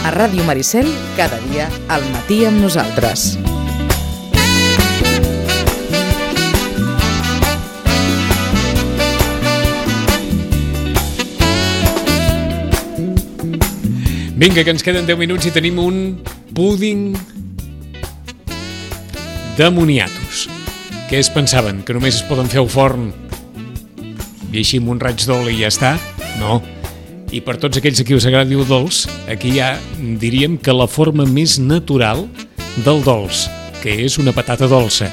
A Ràdio Maricel, cada dia al matí amb nosaltres. Vinga, que ens queden 10 minuts i tenim un púding de moniatos. Què es pensaven? Que només es poden fer al forn i així amb un raig d'oli i ja està? No. I per tots aquells a qui us agradi el dolç, aquí hi ha, diríem, que la forma més natural del dolç, que és una patata dolça.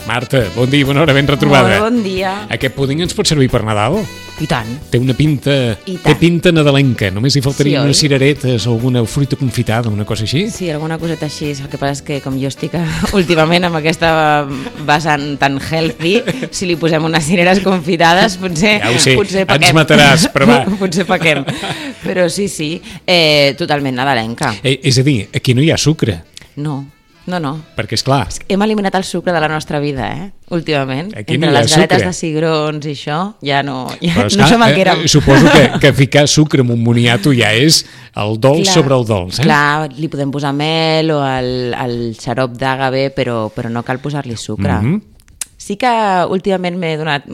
Marta, bon dia, bona hora, ben retrobada. Molt bon dia. Aquest púding ens pot servir per Nadal? I tant. Té una pinta... Té pinta nadalenca. Només hi faltarien unes cireretes o alguna fruita confitada, una cosa així. Sí, alguna coseta així. El que passa és que com jo estic últimament amb aquesta vessant tan healthy, si li posem unes cireres confitades, potser... Ja ho sé, potser pequem. ens mataràs, però va. Potser pequem. Però sí, totalment nadalenca. És a dir, aquí no hi ha sucre. No. Perquè, esclar... Hem eliminat el sucre de la nostra vida, últimament. Aquí entre les galetes de cigrons i això, ja no som el que érem. Suposo que ficar sucre en un moniato ja és el dolç sobre el dolç. Clar, li podem posar mel o el xarop d'agave, però no cal posar-li sucre. Sí que últimament m'he donat...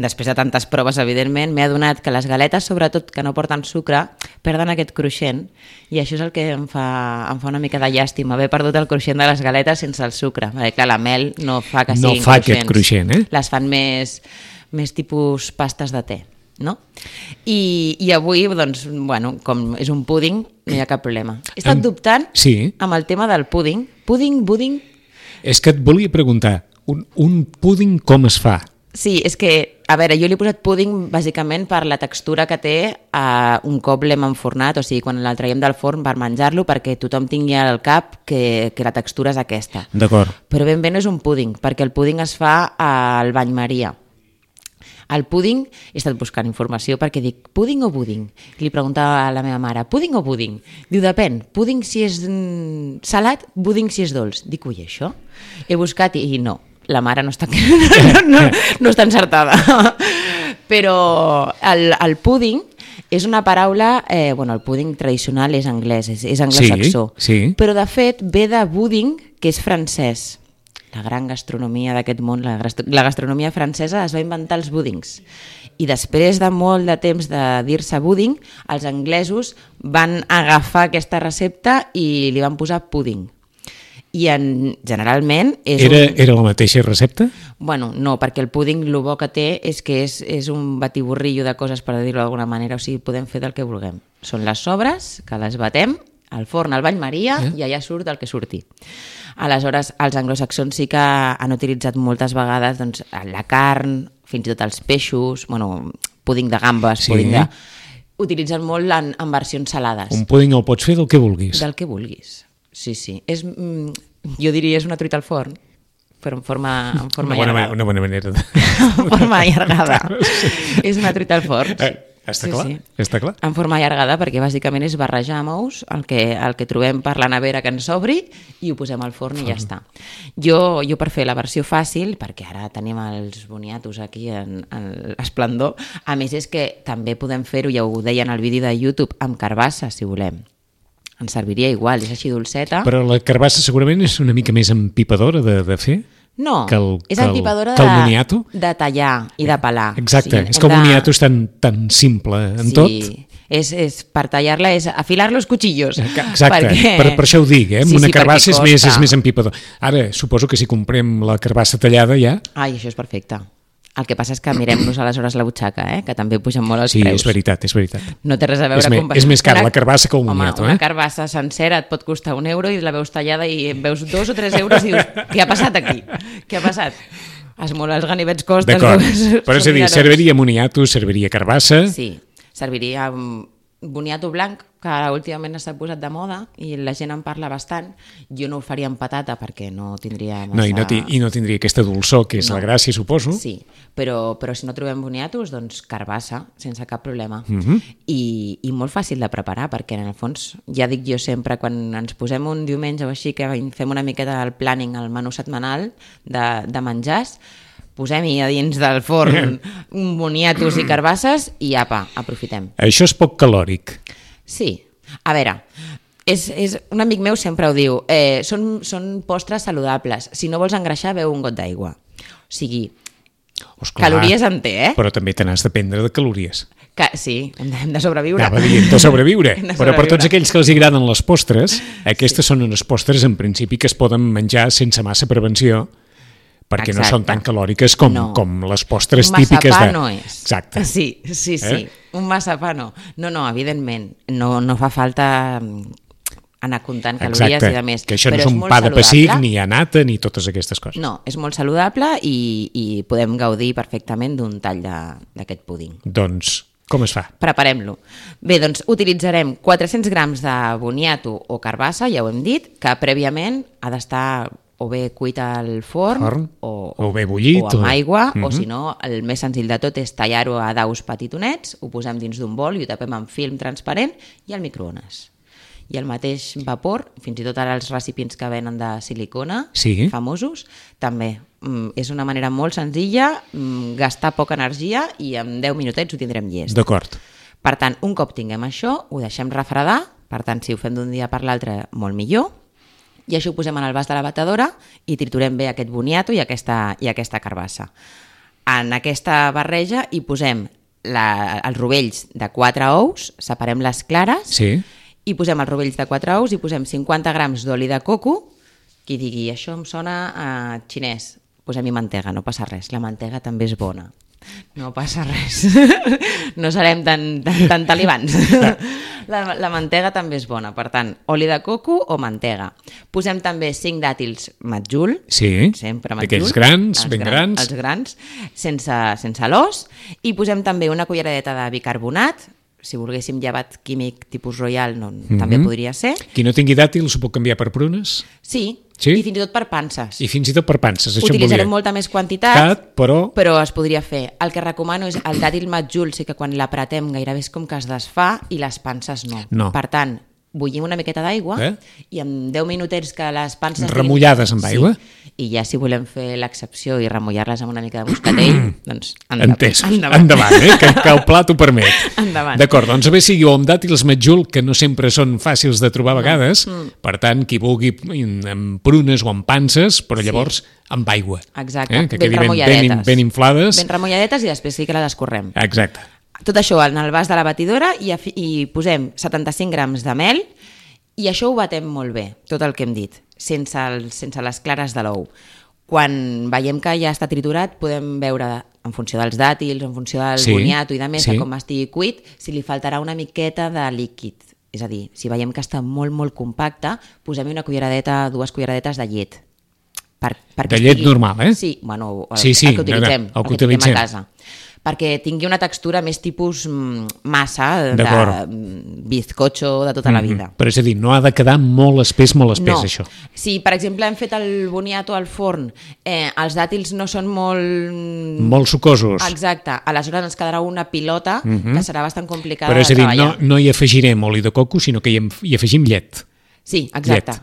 Després de tantes proves, evidentment, m'he adonat que les galetes, sobretot que no porten sucre, perden aquest cruixent, i això és el que em fa una mica de llàstima, haver perdut el cruixent de les galetes sense el sucre. Perquè, clar, la mel no fa que siguin cruixents. No fa aquest cruixent, Les fan més tipus pastes de te, no? I avui, doncs, com és un púding, no hi ha cap problema. He estat dubtant amb el tema del púding. Púding... És que et volia preguntar, un púding com es fa? Sí, és que, a veure, jo li he posat púding bàsicament per la textura que té un cop l'hem enfornat, o sigui, quan el traiem del forn per menjar-lo, perquè tothom tingui al cap que la textura és aquesta. D'acord. Però ben bé no és un púding, perquè el púding es fa al bany Maria. El púding, he estat buscant informació perquè dic, púding o púding? Li preguntava a la meva mare, púding o púding? Diu, depèn, púding si és salat, púding si és dolç. Dic, ui, això? He buscat i no. La mare no està encertada. Però el púding és una paraula... el púding tradicional és anglès, és anglosaxó. Sí. Però, de fet, ve de budding, que és francès. La gran gastronomia d'aquest món, la gastronomia francesa, es va inventar els búdings. I després de molt de temps de dir-se budding, els anglesos van agafar aquesta recepta i li van posar púding. I generalment... Era la mateixa recepta? No, perquè el púding el bo que té és que és un batiburrillo de coses, per dir-ho d'alguna manera, o sigui, podem fer del que vulguem. Són les sobres, que les batem, al forn, al bany Maria, i allà surt el que surti. Aleshores, els anglosaxons sí que han utilitzat moltes vegades la carn, fins i tot els peixos, púding de gambes, púding de... Utilitzen molt en versions salades. Un púding el pots fer del que vulguis. Del que vulguis. Sí. Jo diria és una truita al forn, però en forma allargada. Una bona manera. En forma allargada. És una truita al forn. Està clar, està clar. En forma allargada, perquè bàsicament és barrejar amb el que trobem per la nevera que ens obri i ho posem al forn i ja està. Jo per fer la versió fàcil, perquè ara tenim els boniatos aquí en esplendor, a més és que també podem fer-ho, ja ho deia en el vídeo de YouTube, amb carbassa, si volem. Ens serviria igual, és així dolceta. Però la carbassa segurament és una mica més empipadora de fer? No, és empipadora de tallar i de pelar. Exacte, és que el moniato és tan simple en tot. Sí, és per tallar-la, és afilar los cuchillos. Exacte, per això ho dic, amb una carbassa és més empipador. Ara, suposo que si comprem la carbassa tallada ja... Ai, això és perfecte. El que passa és que mirem-nos aleshores la butxaca, que també pugen molt els preus. Sí, és veritat. No té res a veure... És més car la carbassa que el moniato. Una carbassa sencera et pot costar €1 i la veus tallada i veus 2 o 3 euros i dius, què ha passat aquí? Què ha passat? Els ganivets costen... D'acord, però és a dir, serviria moniato, serviria carbassa... Sí, serviria boniato blanc, que ara últimament s'ha posat de moda i la gent en parla bastant. Jo no ho faria amb patata perquè no tindria massa... I no tindria aquesta dolçor, que és la gràcia, suposo. Sí, però si no trobem boniatos, doncs carbassa, sense cap problema. I molt fàcil de preparar, perquè en el fons, ja dic jo sempre, quan ens posem un diumenge o així, que fem una miqueta del planning, el menú setmanal de menjars, posem-hi a dins del forn boniatos i carbasses i apa, aprofitem. Això és poc calòric. Sí. A veure, Un amic meu sempre ho diu, són postres saludables. Si no vols engreixar, beu un got d'aigua. O sigui, calories en té, Però també te n'has de prendre de calories. Sí, hem de sobreviure. Anava dient de sobreviure. Però per tots aquells que els agraden les postres, aquestes són unes postres en principi que es poden menjar sense massa prevenció, perquè no són tan calòriques com les postres típiques de... Un massapà no és. Exacte. Sí. Un massapà no. No, evidentment. No fa falta anar comptant calories i de més. Que això no és un pa de pessic, ni nata, ni totes aquestes coses. No, és molt saludable i podem gaudir perfectament d'un tall d'aquest púding. Doncs, com es fa? Preparem-lo. Bé, doncs utilitzarem 400 grams de boniato o carbassa, ja ho hem dit, que prèviament ha d'estar o bé cuit al forn o bé bullit o amb aigua, o si no, el més senzill de tot és tallar-ho a daus petitonets, ho posem dins d'un bol i ho tapem amb film transparent i al microones. I el mateix vapor, fins i tot ara els recipients que venen de silicona, famosos, també. És una manera molt senzilla, gastar poca energia i en 10 minutets ho tindrem llest. D'acord. Per tant, un cop tinguem això, ho deixem refredar, per tant, si ho fem d'un dia per l'altre, molt millor, i això ho posem en el vas de la batedora i triturem bé aquest boniato i aquesta carbassa. En aquesta barreja hi posem els rovells de 4 ous, separem les clares, i posem els rovells de 4 ous i posem 50 grams d'oli de coco. Qui digui, això em sona a xinès, posem-hi mantega, no passa res, la mantega també és bona. No passa res, no serem tan talibans. La mantega també és bona, per tant, oli de coco o mantega. Posem també 5 dàtils matjul, sempre matjul, d'aquells grans, ben grans. Els grans, sense l'os, i posem també una culleradeta de bicarbonat. Si volguéssim llevat químic tipus Royal, també podria ser. Qui no tingui dàtils ho pot canviar per prunes? Sí, i fins i tot per panses. I fins i tot per panses, això utilitzarem molta més quantitat, però es podria fer. El que recomano és el dàtil matjul, sí que quan l'apretem gairebé és com que es desfà i les panses no. Per tant, bullim una miqueta d'aigua i en 10 minutets que les panses... Remullades amb aigua? I ja si volem fer l'excepció i remullar-les amb una mica de moscatell, doncs endavant, que el plat ho permet. Endavant. D'acord, doncs a veure si amb dàtils matjul, que no sempre són fàcils de trobar a vegades, per tant, qui vulgui amb prunes o amb panses, però llavors amb aigua. Exacte, que quedi ben inflades. Ben remulladetes i després sí que la descorrem. Exacte. Tot això en el vas de la batidora i posem 75 grams de mel i això ho batem molt bé, tot el que hem dit, sense les clares de l'ou. Quan veiem que ja està triturat podem veure, en funció dels dàtils, en funció del boniato i de més, com estigui cuit, si li faltarà una miqueta de líquid. És a dir, si veiem que està molt, molt compacte, posem-hi una culleradeta, 2 culleradetes de llet. De llet normal, Sí, bueno, el que utilitzem, el que tinguem a casa. Perquè tingui una textura més tipus massa, de bizcocho de tota la vida. Però és a dir, no ha de quedar molt espès, això. Si, per exemple, hem fet el boniato al forn, els dàtils no són molt... Molt sucosos. Exacte, aleshores ens quedarà una pilota que serà bastant complicada de treballar. Però és a dir, no hi afegirem oli de coco, sinó que hi afegim llet. Sí, exacte.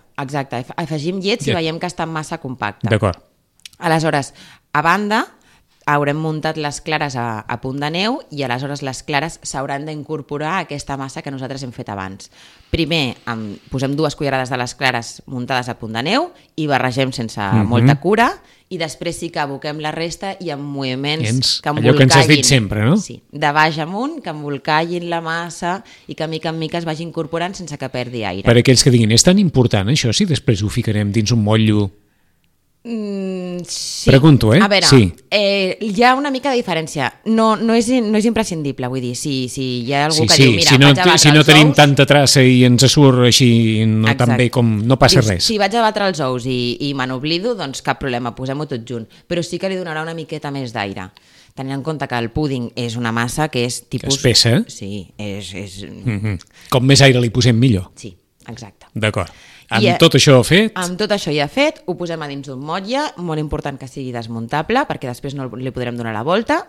Afegim llet si veiem que està massa compacte. D'acord. Aleshores, a banda, haurem muntat les clares a punt de neu i aleshores les clares s'hauran d'incorporar a aquesta massa que nosaltres hem fet abans. Primer posem 2 cullerades de les clares muntades a punt de neu i barregem sense molta cura i després sí que aboquem la resta i amb moviments que embolcallin. Allò que ens has dit sempre, no? Sí, de baix amunt, que embolcallin la massa i que mica en mica es vagi incorporant sense que perdi aire. Per aquells que diguin, és tan important això si després ho ficarem dins un motllo? Sí. Pregunto, A veure, hi ha una mica de diferència. No és imprescindible, vull dir, si hi ha algú que diu, mira, si no tenim tanta traça i ens surt així tan bé com no passa res. Si vaig a batre els ous i me n'oblido, doncs cap problema, posem-ho tot junt. Però sí que li donarà una miqueta més d'aire. Tenint en compte que el púding és una massa que és tipus... Espessa. Sí, és... Com més aire li posem, millor. Sí, exacte. D'acord. Tot això fet? Amb tot això ja fet, ho posem a dins d'un motlle, molt important que sigui desmuntable, perquè després no li podrem donar la volta,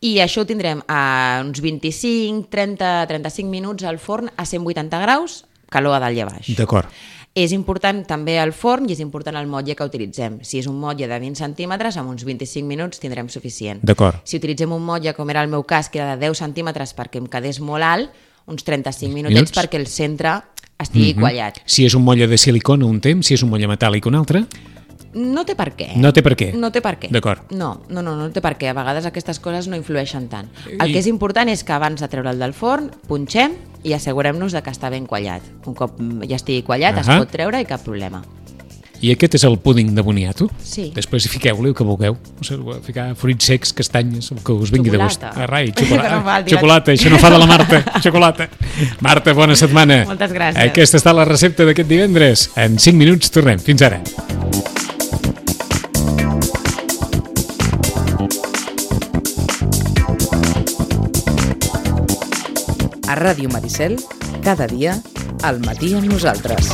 i això ho tindrem a uns 25, 30, 35 minuts al forn a 180 graus, calor a dalt i a baix. D'acord. És important també el forn i és important el motlle que utilitzem. Si és un motlle de 20 centímetres, amb uns 25 minuts tindrem suficient. D'acord. Si utilitzem un motlle, com era el meu cas, que era de 10 centímetres perquè em quedés molt alt, uns 35 minutets perquè el centre estigui quallat. Si és un motlle de silicona un temps, si és un motlle metàl·lic un altre... No té per què. No té per què? No té per què. D'acord. No té per què. A vegades aquestes coses no influeixen tant. El que és important és que abans de treure'l del forn, punxem i assegurem-nos de que està ben quallat. Un cop ja estigui quallat, es pot treure i cap problema. I aquest és el púding de boniato? Sí. Després fiqueu-li el que vulgueu. No sé, ficar fruits secs, castanyes, el que us vingui de gust. Rai, xocolata, això no fa de la Marta. Xocolata. Marta, bona setmana. Moltes gràcies. Aquesta està la recepta d'aquest divendres. En 5 minuts tornem. Fins ara. A Ràdio Maricel, cada dia, al matí amb nosaltres.